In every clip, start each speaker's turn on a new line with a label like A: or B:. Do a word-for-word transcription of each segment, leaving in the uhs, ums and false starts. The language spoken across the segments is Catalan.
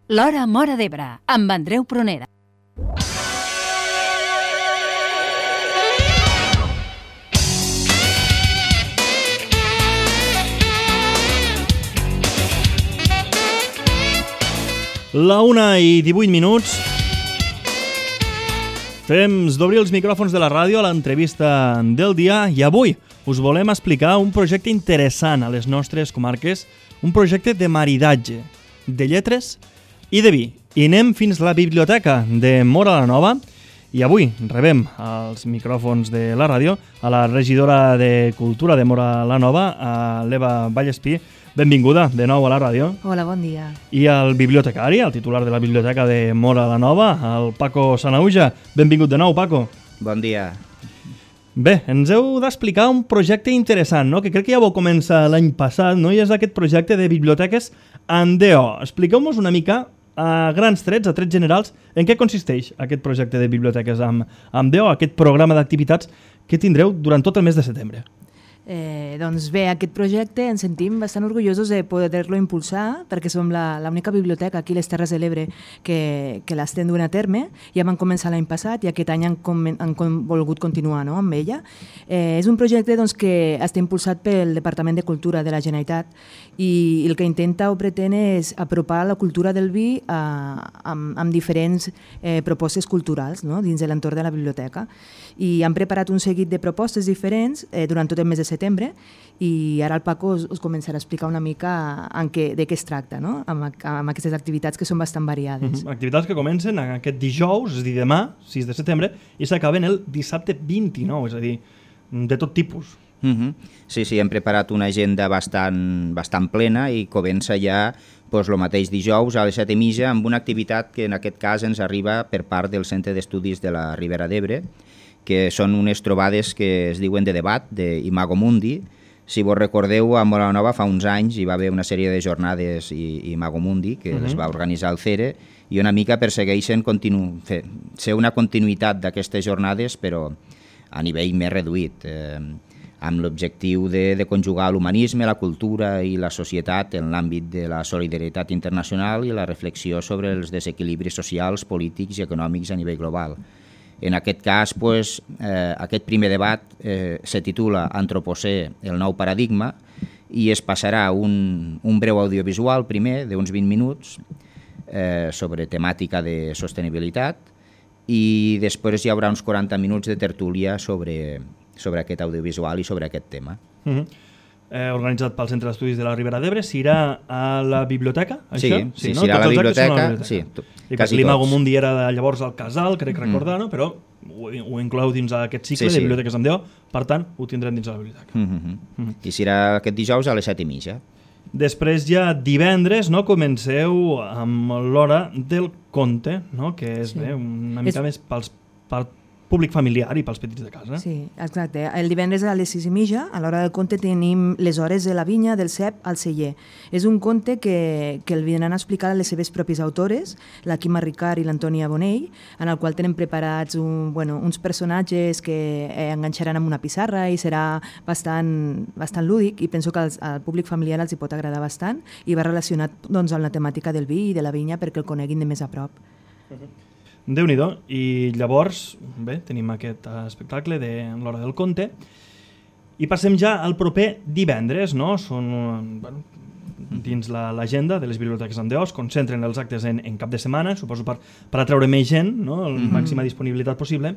A: L'Hora Móra d'Ebre, amb Andreu Prunera.
B: La una i divuit minuts. Temps d'obrir els micròfons de la ràdio a l'entrevista del dia i avui us volem explicar un projecte interessant a les nostres comarques, un projecte de maridatge, de lletres i de vi. I anem fins a la biblioteca de Móra la Nova i avui rebem als micròfons de la ràdio a la regidora de Cultura de Móra la Nova, a l'Eva Vallespí. Benvinguda de nou a la ràdio.
C: Hola, bon dia.
B: I al bibliotecari, el titular de la biblioteca de Móra la Nova, el Paco Sanauja. Benvingut de nou, Paco.
D: Bon dia.
B: Bé, ens heu d'explicar un projecte interessant, no? Que crec que ja vau començar l'any passat, no? I és aquest projecte de biblioteques Andeo. Expliqueu-nos una mica, a grans trets, a trets generals, en què consisteix aquest projecte de biblioteques amb Andeo, aquest programa d'activitats que tindreu durant tot el mes de setembre.
C: Eh, doncs bé, aquest projecte ens sentim bastant orgullosos de poder-lo impulsar perquè som l'única biblioteca aquí a les Terres de l'Ebre que, que l'estem duent a terme. Ja vam començar l'any passat i aquest any han, com, han com, volgut continuar, no?, amb ella. Eh, és un projecte doncs, que està impulsat pel Departament de Cultura de la Generalitat i el que intenta o pretén és apropar la cultura del vi a, amb, amb diferents eh, propostes culturals, no?, dins de l'entorn de la biblioteca. I han preparat un seguit de propostes diferents eh, durant tot el mes de setembre i ara el Paco us, us començarà a explicar una mica en què, de què es tracta, no?, amb, amb aquestes activitats que són bastant variades.
B: Mm-hmm. Activitats que comencen aquest dijous, és a dir, demà, sis de setembre, i s'acaben el dissabte vint-i-nou, és a dir, de tot tipus.
D: Mm-hmm. Sí, sí, hem preparat una agenda bastant, bastant plena i comença ja doncs, el mateix dijous a les set i mitja amb una activitat que en aquest cas ens arriba per part del Centre d'Estudis de la Ribera d'Ebre, que són unes trobades que es diuen de debat, d'Imago Mundi. Si vos recordeu, a Móra la Nova fa uns anys hi va haver una sèrie de jornades Imago Mundi que uh-huh. les va organitzar el C E R E i una mica persegueixen continu... fer, ser una continuïtat d'aquestes jornades però a nivell més reduït, eh, amb l'objectiu de, de conjugar l'humanisme, la cultura i la societat en l'àmbit de la solidaritat internacional i la reflexió sobre els desequilibris socials, polítics i econòmics a nivell global. En aquest cas, pues, eh, aquest primer debat eh, se titula Antropocè, el nou paradigma, i es passarà un, un breu audiovisual primer, d'uns vint minuts, eh, sobre temàtica de sostenibilitat, i després hi haurà uns quaranta minuts de tertúlia sobre, sobre aquest audiovisual i sobre aquest tema.
B: Mm-hmm. Eh, organitzat pel Centre d'Estudis de la Ribera d'Ebre, s'irà a la biblioteca?
D: Sí,
B: això?
D: sí,
B: no?
D: s'irà a la biblioteca.
B: la biblioteca.
D: Sí,
B: t-
D: I
B: quasi l'Imago Mundi era de, llavors al Casal, crec recordar, mm. no? Però ho, ho inclou dins aquest cicle sí, sí. de biblioteques amb Déu, per tant, ho tindrem dins la biblioteca.
D: Mm-hmm. Mm-hmm. I serà aquest dijous a les set i mitja.
B: Després ja divendres, no, comenceu amb l'hora del conte, no? Que és sí. bé, una mica és... més pels, pel públic familiar i pels petits de casa.
C: Sí, exacte. El divendres a les sis i mitja, a l'hora del conte, tenim les hores de la vinya, del cep al celler. És un conte que, que el vindran a explicar les seves pròpies autores, la Quima Ricard i l'Antònia Bonell, en el qual tenen preparats un, bueno, uns personatges que eh, enganxaran amb una pissarra i serà bastant, bastant lúdic i penso que als, al públic familiar els hi pot agradar bastant i va relacionat doncs, amb la temàtica del vi i de la vinya perquè el coneguin de més a prop.
B: Uh-huh. Déu-n'hi-do, i llavors bé, tenim aquest espectacle de l'hora del conte i passem ja al proper divendres, no? Són, bueno, dins l'agenda de les biblioteques Andeo es concentren els actes en, en cap de setmana, suposo per, per atreure més gent, no? La mm-hmm. màxima disponibilitat possible.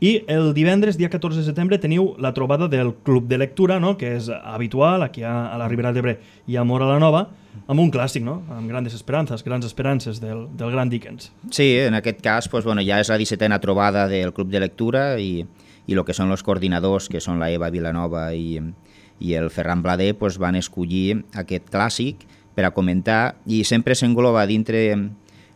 B: I el divendres, dia catorze de setembre, teniu la trobada del Club de Lectura, no? Que és habitual aquí a, a la Ribera d'Ebre i a Móra la Nova, amb un clàssic, no? Amb grandes esperances, grans esperances del, del gran Dickens.
D: Sí, en aquest cas pues, bueno, ja és la dissetena trobada del Club de Lectura i, i el que són els coordinadors, que són la Eva Vilanova i, i el Ferran Blader, pues, van escollir aquest clàssic per a comentar i sempre s'engloba dintre,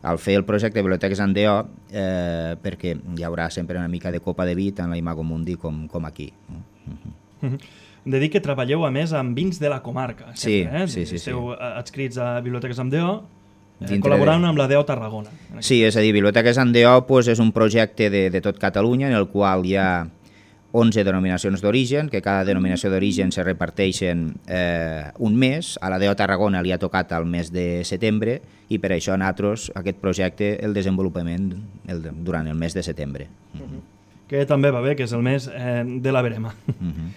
D: al fer el projecte de Biblioteques Andeo, eh, perquè hi haurà sempre una mica de copa de vi tant a l'Imago Mundi com, com aquí.
B: Mm-hmm. Hem de dir que treballeu a més amb vins de la comarca. Sempre,
D: sí,
B: eh?
D: sí, sí.
B: Esteu sí. adscrits a Biblioteques Andeo, eh,
D: Dintre
B: col·laborant
D: de...
B: amb la Deo Tarragona.
D: Sí, és a dir, Biblioteques Andeo pues, és un projecte de, de tot Catalunya en el qual hi ha onze denominacions d'origen, que cada denominació d'origen se reparteixen eh, un mes. A la D O Tarragona li ha tocat al mes de setembre i per això nosaltres aquest projecte el desenvolupament el, durant el mes de setembre.
B: Uh-huh. Que també va bé, que és el mes eh, de la verema.
D: Uh-huh.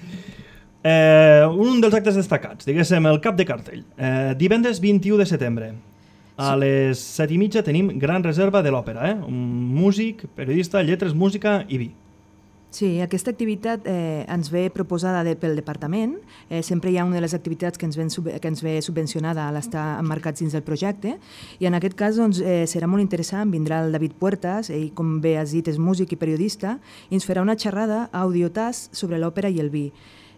B: eh, un dels actes destacats, diguéssim, el cap de cartell. Eh, divendres vint-i-u de setembre. A les set i mitja tenim gran reserva de l'òpera, eh? Un músic, periodista, lletres, música i vi.
C: Sí, aquesta activitat eh, ens ve proposada de, pel departament. Eh, sempre hi ha una de les activitats que ens, ven, que ens ve subvencionada a l'estar emmarcats dins del projecte i en aquest cas doncs, eh, serà molt interessant. Vindrà el David Puertas, ell com bé has dit és músic i periodista i ens farà una xerrada audiotàs sobre l'òpera i el vi.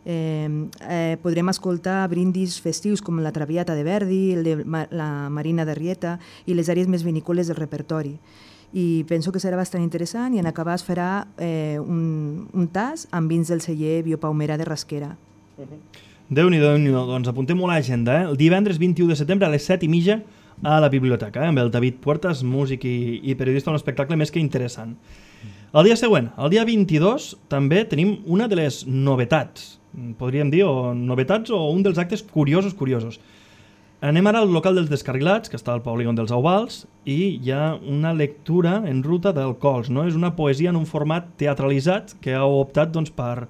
C: Eh, eh, podrem escoltar brindis festius com la Traviata de Verdi, el de Ma la Marina de Rieta i les àrees més vinícoles del repertori. I penso que serà bastant interessant i en acabar es farà eh, un, un tas amb vins del celler Biopalmera de Rasquera.
B: Uh-huh. Déu-n'hi-do, Déu-n'hi-do. Doncs apuntem-ho a l'agenda. Eh? El divendres vint-i-u de setembre a les set i mitja a la biblioteca, eh? Amb el David Puertas, músic i, i periodista, un espectacle més que interessant. El dia següent, el dia vint-i-dos, també tenim una de les novetats, podríem dir, o novetats o un dels actes curiosos, curiosos. Anem ara al local dels Descarrilats, que està al polígon dels Auvals, i hi ha una lectura en ruta d'alcohols, no? És una poesia en un format teatralitzat que ha optat doncs, per,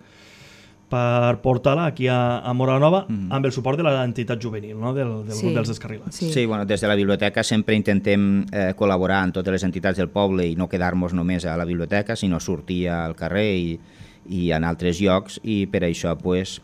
B: per portar-la aquí a, a Móra la Nova mm. amb el suport de l'entitat juvenil, no? del, del sí. grup dels Descarrilats.
C: Sí.
D: sí, bueno, des de la biblioteca sempre intentem eh, col·laborar amb totes les entitats del poble i no quedar-nos només a la biblioteca, sinó sortir al carrer i, i en altres llocs, i per això pues,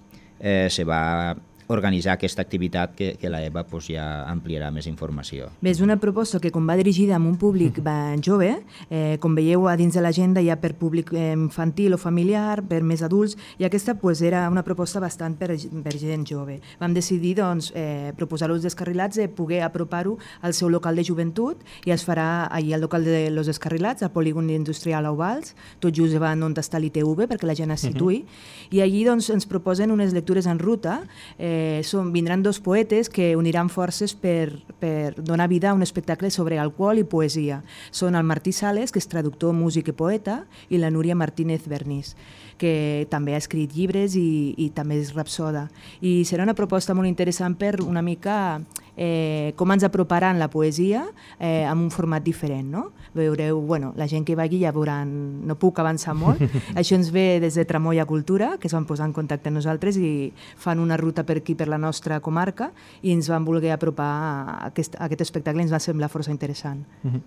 D: eh, se va organitzar aquesta activitat que, que la Eva pues, ja ampliarà més informació.
C: Bé, és una proposta que com va dirigida a un públic jove, eh, com veieu a dins de l'agenda hi ha per públic infantil o familiar, per més adults, i aquesta pues, era una proposta bastant per, per gent jove. Vam decidir doncs, eh, proposar als Descarrilats de poder apropar-ho al seu local de joventut i es farà allà al local de los Descarrilats, al polígon industrial Auvals, tot just davant on està l'I T V perquè la gent es situï, uh-huh. i allí doncs, ens proposen unes lectures en ruta. eh, Eh, són, vindran dos poetes que uniran forces per, per donar vida a un espectacle sobre alcohol i poesia. Són el Martí Sales, que és traductor, músic i poeta, i la Núria Martínez Bernís, que també ha escrit llibres i, i també és rapsoda. I serà una proposta molt interessant per una mica eh, com ens aproparan la poesia eh, amb un format diferent, no? Veureu, bueno, la gent que va aquí ja veuran, no puc avançar molt. Això ens ve des de Tramoia Cultura, que es van posar en contacte amb nosaltres i fan una ruta per aquí, per la nostra comarca, i ens van voler apropar a aquest, a aquest espectacle, ens va semblar força interessant.
B: Uh-huh.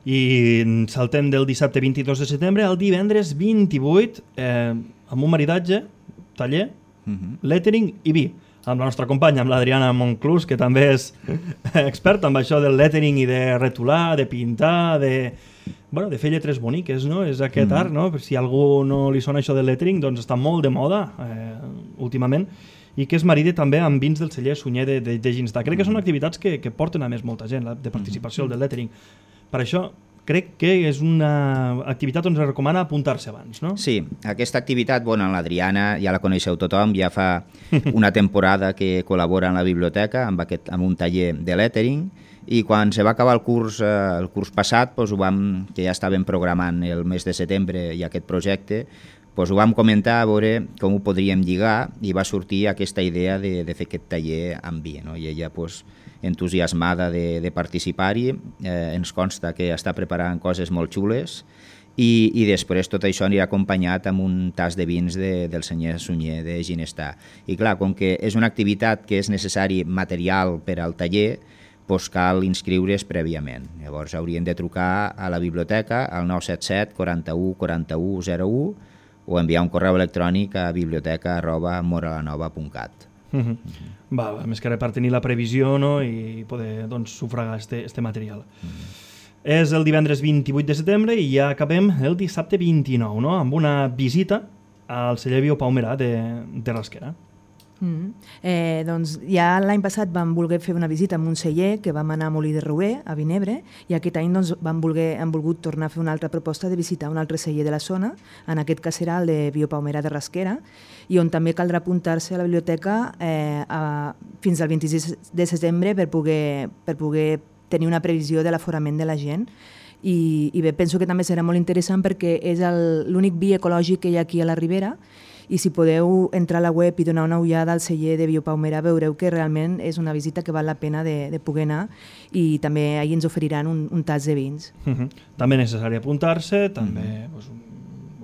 B: I saltem del dissabte vint-i-dos de setembre al divendres vint-i-vuit eh, amb un maridatge, taller, uh-huh. lettering i vi, amb la nostra companya, amb l'Adriana Monclús, que també és experta en això del lettering i de retolar, de pintar, de, bueno, de fer lletres boniques, no? És aquest mm. art, no? Si a algú no li sona això del lettering, doncs està molt de moda eh, últimament, i que es maride també amb vins del celler Sunyer de, de, de Ginstar. Crec que són activitats que, que porten a més molta gent, la, de participació mm. del lettering. Per això crec que és una activitat on es recomana apuntar-se abans, no?
D: Sí, aquesta activitat, bueno, l'Adriana ja la coneixeu tothom, ja fa una temporada que col·labora en la biblioteca amb, aquest, amb un taller de lettering, i quan se va acabar el curs, eh, el curs passat, doncs ho vam, que ja estàvem programant el mes de setembre i aquest projecte, doncs ho vam comentar a veure com ho podríem lligar i va sortir aquesta idea de, de fer aquest taller amb vi, no? I ella, doncs, entusiasmada de, de participar-hi, eh, ens consta que està preparant coses molt xules i, i després tot això anirà acompanyat amb un tas de vins de, del senyor Sunyer de Ginestar. I clar, com que és una activitat que és necessari material per al taller, doncs cal inscriure's prèviament. Llavors haurien de trucar a la biblioteca al nou set set quaranta-u quaranta-u zero u o enviar un correu electrònic a biblioteca arroba moralanova punt cat.
B: Uh -huh. Uh-huh. Va, va, més que res per tenir la previsió, no? I poder doncs, sufragar este, este material. Uh-huh. És el divendres vint-i-vuit de setembre i ja acabem el dissabte vint-i-nou, no? Amb una visita al celler Biopalmera de, de Rasquera.
C: Mm. Eh, doncs ja l'any passat vam voler fer una visita amb un celler que vam anar a Molí de Rouer, a Vinebre, i aquest any doncs, vam voler, hem volgut tornar a fer una altra proposta de visitar un altre celler de la zona, en aquest cas serà el de Biopalmera de Rasquera, i on també caldrà apuntar-se a la biblioteca eh, a, fins al vint-i-sis de setembre per poder, per poder tenir una previsió de l'aforament de la gent. I, i bé, penso que també serà molt interessant perquè és el- l'únic vi ecològic que hi ha aquí a la Ribera, i si podeu entrar a la web i donar una ullada al celler de Biopaumerà veureu que realment és una visita que val la pena de, de poder anar, i també ahir ens oferiran un, un tas de vins.
B: Uh -huh. També necessari apuntar-se, també uh -huh. pues, un,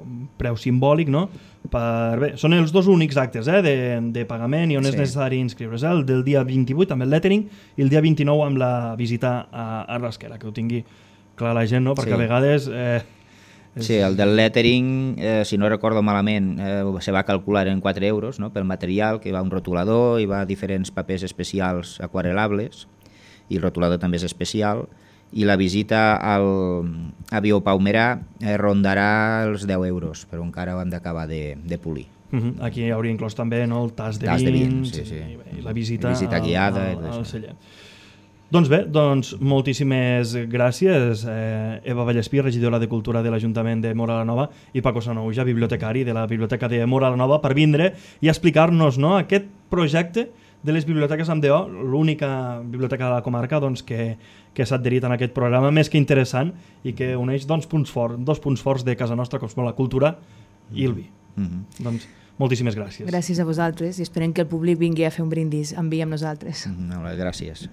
B: un preu simbòlic, no? Per, bé, són els dos únics actes eh, de, de pagament i on sí. és necessari inscriure's, eh? El del dia vint-i-vuit amb el lettering i el dia vint-i-nou amb la visita a, a Rasquera, que ho tingui clar la gent, no? Perquè sí. a vegades... Eh, és...
D: Sí, el del lettering, eh, si no recordo malament, eh, se va calcular en quatre euros, no?, pel material, que va un rotulador i va diferents papers especials aquarelables, i el rotulador també és especial, i la visita al, a Biopaumerà eh, rondarà els deu euros, però encara ho hem d'acabar de, de polir.
B: Uh -huh. Aquí hi hauria inclòs també, no, el tas de
D: tas
B: vins,
D: de vins sí, sí.
B: I, bé, i la visita,
D: visita guiada,
B: al, al, al celler. Doncs bé, doncs moltíssimes gràcies, eh, Eva Vallespí, regidora de Cultura de l'Ajuntament de Móra la Nova, i Paco Sanouja, bibliotecari de la Biblioteca de Móra la Nova, per vindre i explicar-nos, no, aquest projecte de les biblioteques amb D O, l'única biblioteca de la comarca doncs, que, que s'ha adherit en aquest programa, més que interessant, i que uneix doncs, punts forts, dos punts forts de casa nostra, com són la cultura i el vi. Mm -hmm. Doncs moltíssimes gràcies.
C: Gràcies a vosaltres, i esperem que el públic vingui a fer un brindis amb vi amb nosaltres.
D: Mm -hmm. Gràcies.